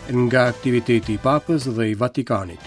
Nga aktiviteti i Papës dhe i Vatikanit.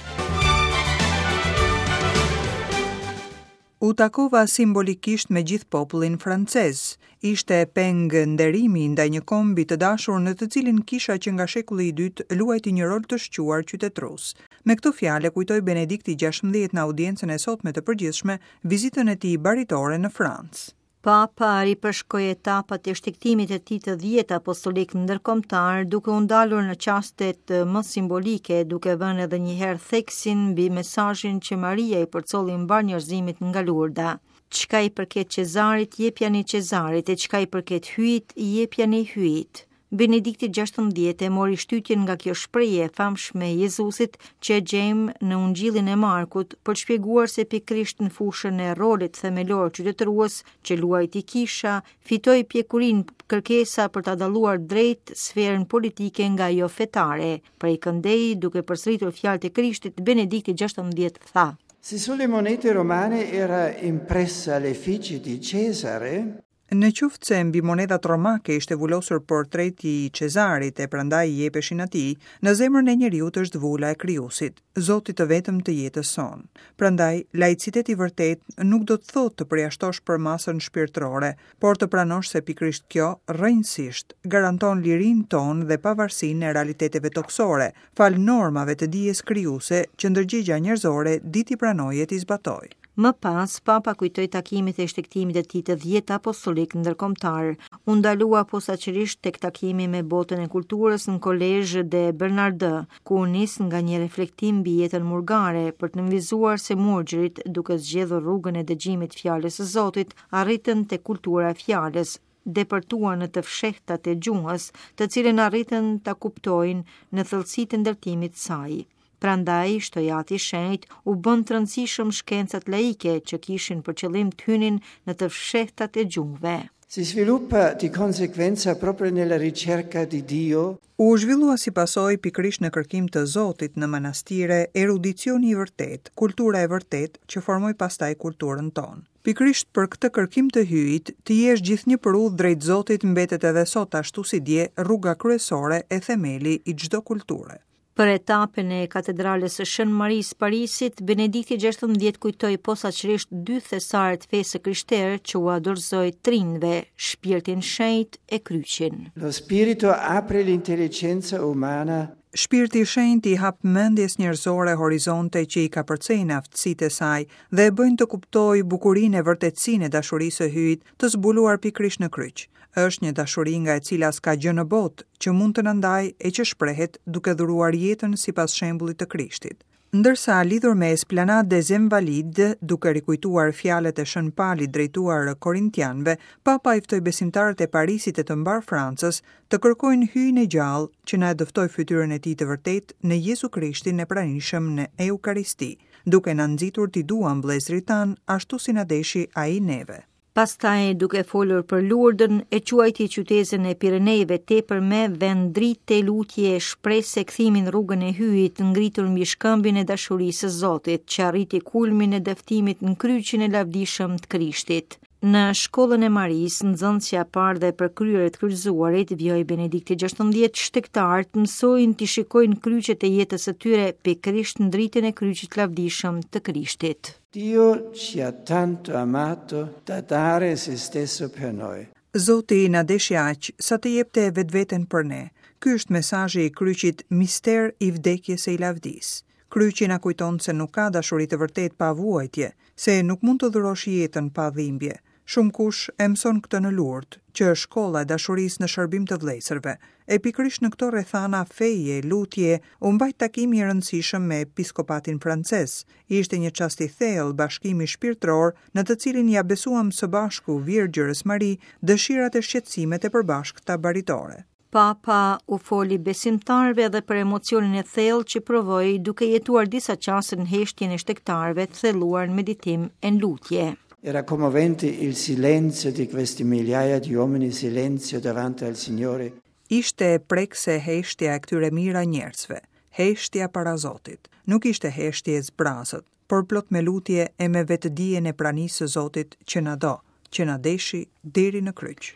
U takova simbolikisht me gjithë popullin francez. Ishte peng nderimi ndaj një kombi të dashur në të cilin kisha që nga shekulli i dytë luajti një rol të shquar qytetërues. Me këto fjalë e kujtoi Benedikti 16 në audiencën e sotme të përgjithshme vizitën e tij baritore në Francë. Papa ripërshkoi etapat e shtegtimit të tij të dhjetë apostolik ndërkombëtar, duke u ndalur në çastet më simbolike, duke vënë edhe një herë theksin mbi mesazhin që Maria i përcolli mbarë njerëzimit nga Lurda. Çka i përket Cezarit, jepjani Cezarit, e çka i përket Hyjit, jepjani Hyjit. Benedikti 16 e mori shtytjen nga kjo shprehje e famshme e Jezusit që e gjejmë në Ungjillin e Markut për të shpjeguar se pikërisht në fushën e rolit themelor qytetërues që luajti kisha, fitoi pjekurinë kërkesa për ta dalluar drejt sferën politike nga ajo fetare. Prej këndej, duke përsëritur fjalët e Krishtit, Benedikti 16 tha: Se sulle monete romane era impressa l'effigie di Cesare, Në qoftë se mbi monedhat romake ishte vulosur portreti i Cezarit e prandaj i jepeshin atij, në zemrën e njeriut është vula e Krijuesit, Zotit të vetëm të jetës sonë. Prandaj, laicitet i vërtetë nuk do të thotë të përjashtosh përmasën shpirtërore, por të pranosh se pikërisht kjo, rrënjësisht, garanton lirinë tonë dhe pavarësinë e realiteteve tokësore, falë normave të dijes krijuese që ndërgjegja njerëzore di t'i pranojë e t'i zbatojë. Më pas, Papa kujtoi takimet e shtegtimit të tij të dhjetë apostolik ndërkombëtar. U ndalua posaçërisht tek takimi me botën e kulturës në Collège des Bernardins, ku u nis nga një reflektim mbi jetën murgare për të nënvizuar se murgjërit, duke zgjedhur rrugën e dëgjimit fjalës së Zotit, arritën te kultura e fjalës, depërtuan në të fshehtat e gjuhës, të cilën arritën ta kuptojnë në thellësitë e ndërtimit të saj. Prandaj, shtoi Ati i Shenjtë, u bënë të rëndësishëm shkencat laike që kishin për qëllim të hynin në të fshehtat e gjuhëve. Si sviluppa di conseguenza proprio nella ricerca di Dio. U zhvillua si pasojë pikërisht në kërkim të Zotit në manastire erudicioni i vërtetë, kultura e vërtetë që formoi pastaj kulturën tonë. Pikërisht për këtë kërkim të Hyjit, të jesh gjithnjë për udhë drejt Zotit mbetet edhe sot ashtu si dje rruga kryesore e themeli i çdo kulture. Për etapën e Katedrales së Shën Marisë Parisit, Benedikti XVI kujtoi posaçërisht dy thesare të fesë së krishterë që ua dorëzoi të rinjve, shpirtin shenjt e kryqin. Lo spirito apre l'intelligenza umana Shpirti i Shenjtë i hap mendjes njerëzore horizonte që i kapërcejnë aftësitë e saj dhe e bëjnë të kuptojë bukurinë e vërtetësinë e dashurisë së Hyjit të zbuluar pikërisht në kryq. Është një dashuri nga e cila s'ka gjë në botë që mund të na ndajë e që shprehet duke dhuruar jetën sipas shembullit të Krishtit. Ndërsa lidhur me Esplanade des Invalides, duke rikujtuar fjalët e Shën Palit drejtuar Korintianëve, Papa i ftoi besimtarët e Parisit e të mbarë Francës të kërkojnë Hyjin e gjallë që na e dëftoi fytyrën e tij të vërtetë në Jezu Krishtin e pranishëm në Eukaristi, duke na nxitur t'i duam vëllezërit tanë ashtu si na deshi ai neve. Pastaj, duke folur për Lurdën, e quajti qytezën e Pirenejve tepërme vend drite, lutje, shprese, kthimi në rrugën e Hyjit, ngritur mbi shkëmbin e dashurisë së Zotit, që arriti kulmin e dëftimit në kryqin e lavdishëm të Krishtit. Në shkollën e Marisë, nxënësja e parë dhe e përkryer e të kryqëzuarit, vijoi Benedikti XVI, shtegtarët mësojnë t'i shikojnë kryqet e jetës së tyre pikërisht në dritën e kryqit të lavdishëm të Krishtit. Dio ci ha tanto amato da dare se stesso per noi. Zoti na deshi aq, sa të jepte vetveten për ne. Ky është mesazhi i kryqit mister i vdekjes e i lavdisë. Kryqi na kujton se nuk ka dashuri të vërtetë pa vuajtje, se nuk mund të dhurosh jetën pa dhimbje. Shumëkush e mëson këtë në Lurd, që është shkolla e dashurisë në shërbim të vëllezërve. E pikërisht në këto rrethana feje e lutje u mbajt takimi i rëndësishëm me episkopatin francez. Ishte një çast i thellë bashkimi shpirtëror në të cilin ia besuam së bashku Virgjërës Mari dëshirat e shqetësimet e përbashkëta baritore. Papa u foli besimtarëve edhe për emocionin e thellë që provoi duke jetuar disa çaste në heshtjen e shtegtarëve të thelluar në meditim e në lutje. Era commovente il silenzio di queste migliaia di uomini, silenzio davanti al Signore. Ishte prekëse heshtja e këtyre mijëra njerëzve, heshtja para Zotit. Nuk ishte heshtje e zbrazët, por plot me lutje e me vetëdijen e pranisë së Zotit që na do, që na deshi deri në kryq.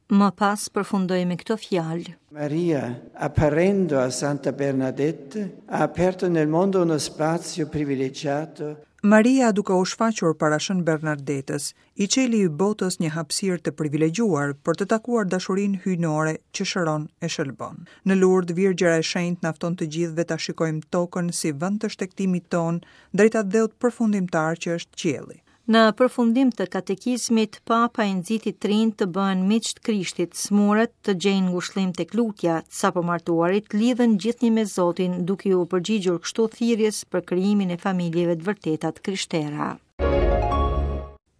Më pas përfundoi me këto fjalë. Maria, apparendo a Santa Bernadette, ha aperto nel mondo uno spazio privilegiato Maria duke u shfaqur para Shën Bernardetës, i çeli botës një hapësirë të privilegjuar për të takuar dashurinë hyjnore që shëron e shëlbon. Në Lurd, Virgjëra e Shenjtë na fton të gjithëve ta shikojmë tokën si vend të shtegtimit tonë drejt atdheut përfundimtar që është qielli. Në përfundim të katekizmit, Papa i nxiti të rinjtë të bëhen miq të Krishtit, sëmurët të gjejnë ngushëllim tek lutja, të sapomartuarit të lidhen gjithnjë me Zotin, duke iu përgjigjur kështu thirrjes për krijimin e familjeve të vërteta të krishtera.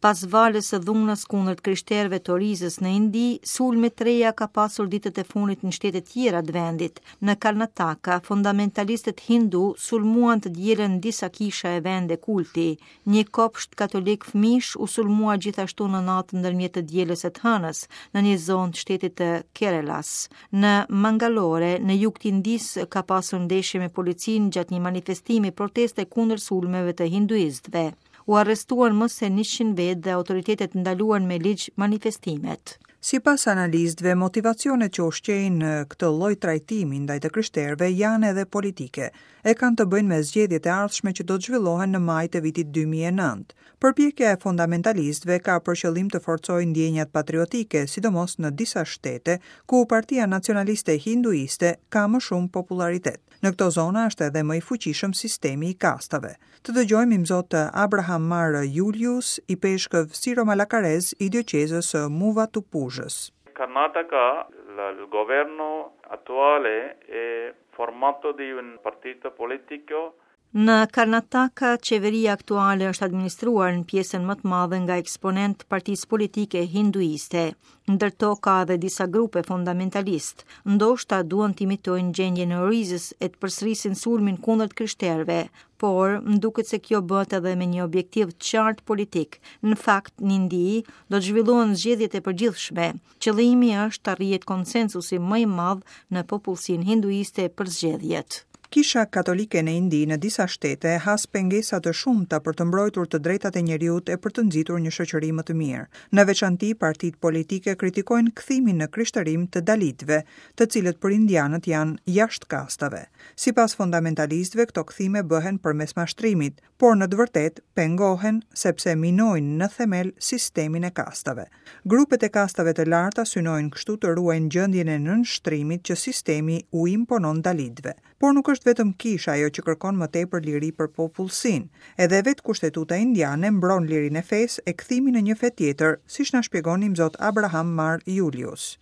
Pas valës së dhunës kundër të krishterëve të Orizës në Indi, sulme të reja ka pasur ditët e fundit në shtete të tjera të vendit. Në Karnataka, fundamentalistët hindu sulmuan të dielën disa kisha e vende kulti. Një kopsht katolik fëmijësh u sulmua gjithashtu në natën ndërmjet të dielës e të hënës, në një zonë të shtetit të Kerelas. Në Mangalore, në jug të Indisë, ka pasur ndeshje me policinë gjatë një manifestimi proteste kundër sulmeve të hinduistëve. U arrestuan më se 100 vetë dhe autoritetet ndaluan me ligj manifestimet. Sipas analistëve, motivacionet që ushqejnë këtë lloj trajtimi ndaj të krishterëve janë edhe politike, e kanë të bëjnë me zgjedhjet e ardhshme që do të zhvillohen në maj të vitit 2009. Përpjekja e fundamentalistëve ka për qëllim të forcojë ndjenjat patriotike, sidomos në disa shtete, ku Partia Nacionaliste Hinduiste ka më shumë popullaritet. Në këto zona është edhe më i fuqishëm sistemi i kastave. Të dëgjojmë imzot Abraham Mar Julius, ipeshkëv siro-malakarez i dioqezës së Muvatupuzhës. Karnataka, il governo attuale è formato di un partito politico Në Karnataka, qeveria aktuale është administruar në pjesën më të madhe nga eksponentë të partisë politike hinduiste. Ndër to ka edhe disa grupe fundamentalistë. Ndoshta duan të imitojnë gjendjen e Orizës e të përsërisin sulmin kundër të krishterëve, por më duket se kjo bëhet edhe me një objektiv të qartë politik. Në fakt, në Indi do të zhvillohen zgjedhjet e përgjithshme. Qëllimi është të arrihet konsensusi më i madh në popullsinë hinduiste për zgjedhjet. Kisha Katolike në Indi në disa shtete has pengesa të shumta për të mbrojtur të drejtat e njeriut e për të nxitur një shoqëri më të mirë. Në veçanti, partitë politike kritikojnë kthimin në krishterim të dalitëve, të cilët për indianët janë jashtë kastave. Sipas fundamentalistëve, këto kthime bëhen përmes mashtrimit, por në të vërtetë pengohen sepse minojnë në themel sistemin e kastave. Grupet e kastave të larta synojnë kështu të ruajnë gjendjen e nënshtrimit që sistemi u imponon dalitëve. Por nuk është vetëm kisha ajo që kërkon më tepër liri për popullsinë. Edhe vetë kushtetuta indiane mbron lirinë e fesë e kthimin në një fe tjetër, siç na shpjegon imzot Abraham Mar Julius.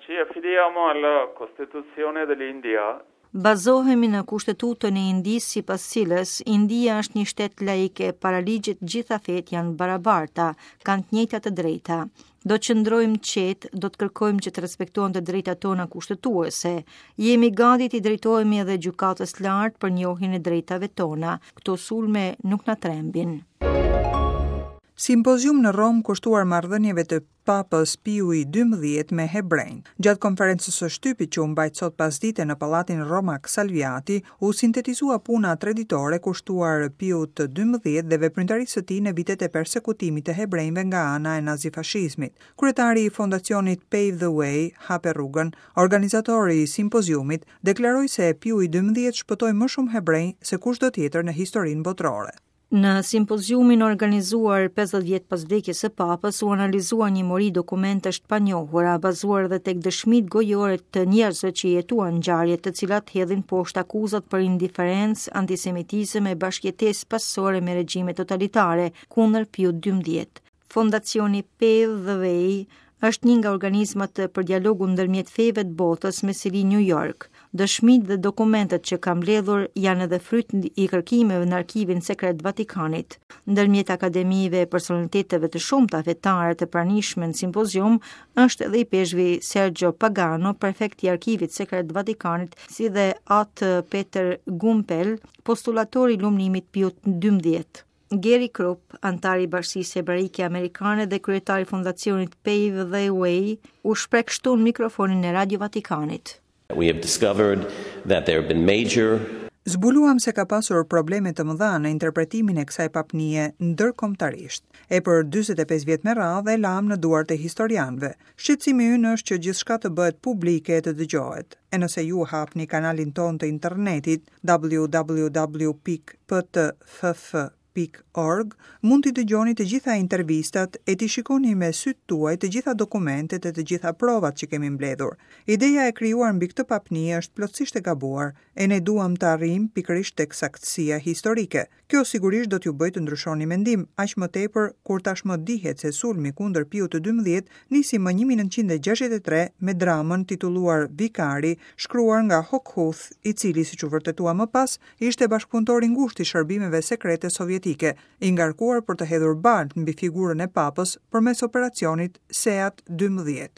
Ci affidiamo alla Costituzione dell'India Bazohemi në Kushtetutën e Indisë sipas cilës India është një shtet laik e para ligjit të gjitha fetë janë të barabarta, kanë të njëjtat të drejta. Do të qëndrojmë të qetë, do të kërkojmë që të respektohen të drejtat tona kushtetuese. Jemi gati t'i drejtohemi edhe Gjykatës së Lartë për njohjen e drejtave tona. Këto sulme nuk na trembin. Simpozium në Romë kushtuar marrëdhënieve të Papës Piu i XII me hebrenjtë. Gjatë konferencës së shtypit që u mbajt sot pasdite në pallatin romak Salviati, u sintetizua puna treditore kushtuar Piut të XII dhe veprimtarisë së tij në vitet e persekutimit të hebrenjve nga ana e nazifashizmit. Kryetari i fondacionit Pave the Way, Hape rrugën, organizator i simpoziumit, deklaroi se Piu i XII shpëtoi më shumë hebrenj se kushdo tjetër në historinë botërore. Në simpoziumin e organizuar 50 vjet pas vdekjes së Papës u analizua një mori dokumentesh të panjohura, bazuar edhe tek dëshmitë gojore të njerëzve që jetuan ngjarjet, të cilat hedhin poshtë akuzat për indiferencë, antisemitizëm e bashkëjetesë paqësore me regjime totalitare kundër Piut XII. Fondacioni Pave the Way është një nga organizmat për dialogun ndërmjet feve të botës me seli New York. Dëshmitë dhe dokumentet që ka mbledhur janë edhe fryt i kërkimeve në arkivin sekret të Vatikanit. Ndërmjet akademive e personaliteteve të shumta fetare të pranishme në simpozium është edhe ipeshkvi Sergio Pagano, prefekt i arkivit sekret të Vatikanit, si dhe Atë Peter Gumpel, postulator i lumnimit Piut XII. Gary Krupp, anëtar i Bashkësisë Hebraike Amerikane dhe kryetar i fondacionit Pave the Way, u shpreh kështu në mikrofonin e Radio Vatikanit. We have discovered that there have been major. Zbuluam se ka pasur probleme të mëdha në interpretimin e kësaj papnie ndërkombëtarisht, e për 45 vjet me radhë e lamë në duart e historianëve. Shqetësimi ynë është që gjithçka të bëhet publike e të dëgjohet. E nëse ju hapni kanalin tonë të internetit www.ptff.org, mund t'i dëgjoni të gjitha intervistat e t'i shikoni me sytë tuaj të gjitha dokumentet e të gjitha provat që kemi mbledhur. Ideja e krijuar mbi këtë papni është plotësisht e gabuar, e ne duam të arrijmë pikërisht tek saktësia historike. Kjo sigurisht do t'ju bëjë të ndryshoni mendim, aq më tepër kur tashmë dihet se sulmi kundër Piut të 12 nisi më 1963 me dramën titulluar Vikari, shkruar nga Hochhuth, i cili, siç u vërtetua më pas, ishte bashkëpunëtor i ngushtë i shërbimeve sekrete sovjetike, i ngarkuar për të hedhur baltë mbi figurën e papës përmes operacionit SEAT 12.